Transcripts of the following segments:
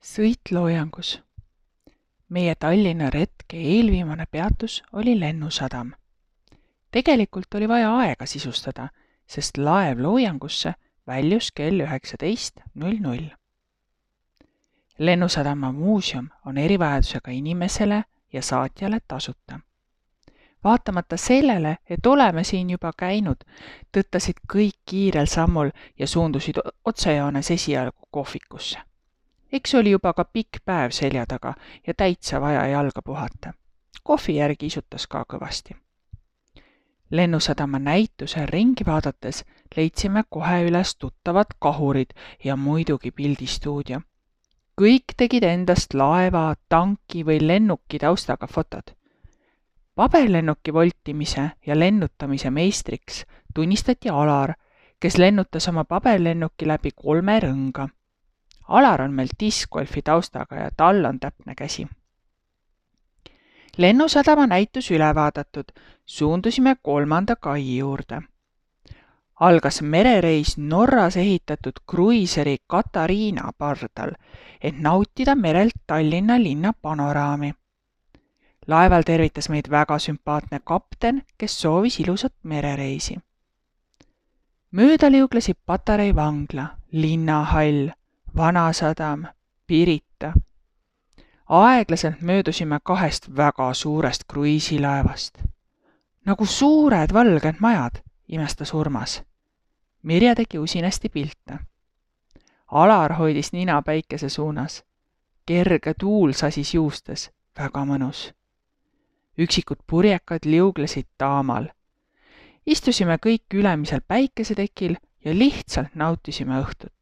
Sõitloojangus. Meie Tallinna retke eelviimane peatus oli Lennusadam. Tegelikult oli vaja aega sisustada, sest laev loojangusse väljus kell 19:00. Lennusadama muuseum on erivajadusega inimesele ja saatjale tasuta. Vaatamata sellele, et oleme siin juba käinud, tõttasid kõik kiirel sammul ja suundusid otsejoones esialgu kohvikusse. Eks oli juba ka pikk päev selja taga ja täitsa vaja jalga puhata. Kohvi järgi isutas ka kõvasti. Lennusadama näituse ringi vaadates leidsime kohe üles tuttavad kahurid ja muidugi pildistuudio. Kõik tegid endast laeva, tanki või lennuki taustaga fotod. Paberlennuki voltimise ja lennutamise meistriks tunnistati Alar, kes lennutas oma paberlennuki läbi 3 rõnga. Alar on meil discgolfi taustaga ja tal on täpne käsi. Lennusadama näitus üle vaadatud, suundusime 3. kai juurde. Algas merereis Norras ehitatud kruiiseri Katariina pardal, et nautida merelt Tallinna linna panoraami. Laeval tervitas meid väga sümpaatne kapten, kes soovis ilusat merereisi. Mööda liuglesid Patarei vangla, linnahall, Vanasadam, Pirita. Aeglaselt möödusime 2 väga suurest kruiisilaevast. Nagu suured valged majad, imestas Urmas. Mirje tegi usinasti pilte. Alar hoidis nina päikese suunas. Kerge tuul sasis juustes, väga mõnus. Üksikud purjekad liuglesid taamal. Istusime kõik ülemisel päikesetekil ja lihtsalt nautisime õhtut.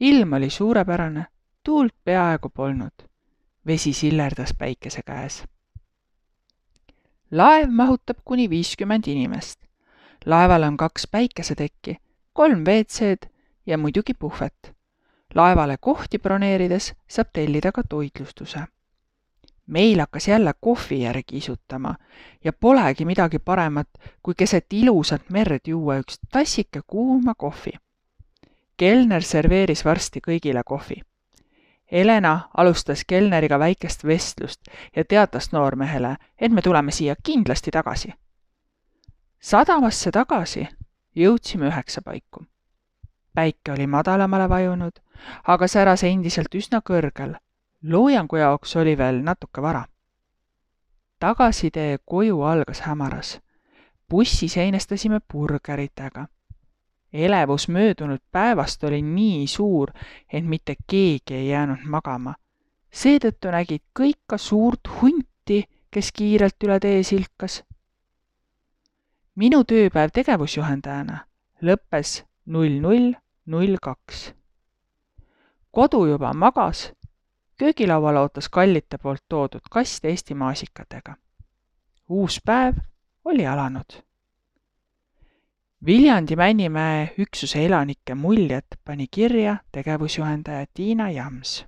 Ilm oli suurepärane, tuult peaaegu polnud. Vesi sillerdas päikese käes. Laev mahutab kuni 50 inimest. Laeval on 2 päikesetekki, 3 WC-d ja muidugi puhvet. Laevale kohti broneerides saab tellida ka toitlustuse. Meil hakkas jälle kohvi järgi isutama ja polegi midagi paremat, kui keset ilusat merd juua üks tassike kuuma kohvi. Kelner serveeris varsti kõigile kohvi. Elena alustas kelneriga väikest vestlust ja teatas noormehele, et me tuleme siia kindlasti tagasi. Sadamasse tagasi jõudsime 9 paiku. Päike oli madalamale vajunud, aga säras endiselt üsna kõrgel. Loojangu jaoks oli veel natuke vara. Tagasitee koju algas hämaras. Bussis einestasime burgeritega. Elevus möödunud päevast oli nii suur, et mitte keegi ei jäänud magama. Seetõttu nägid kõik ka suurt hunti, kes kiirelt üle tee silkas. Minu tööpäev tegevusjuhendajana lõppes 00:02. Kodu juba magas, köögilaual ootas kallite poolt toodud kast Eesti maasikatega. Uus päev oli alanud. Viljandi Männimäe üksuse elanike muljed pani kirja tegevusjuhendaja Tiina Jams.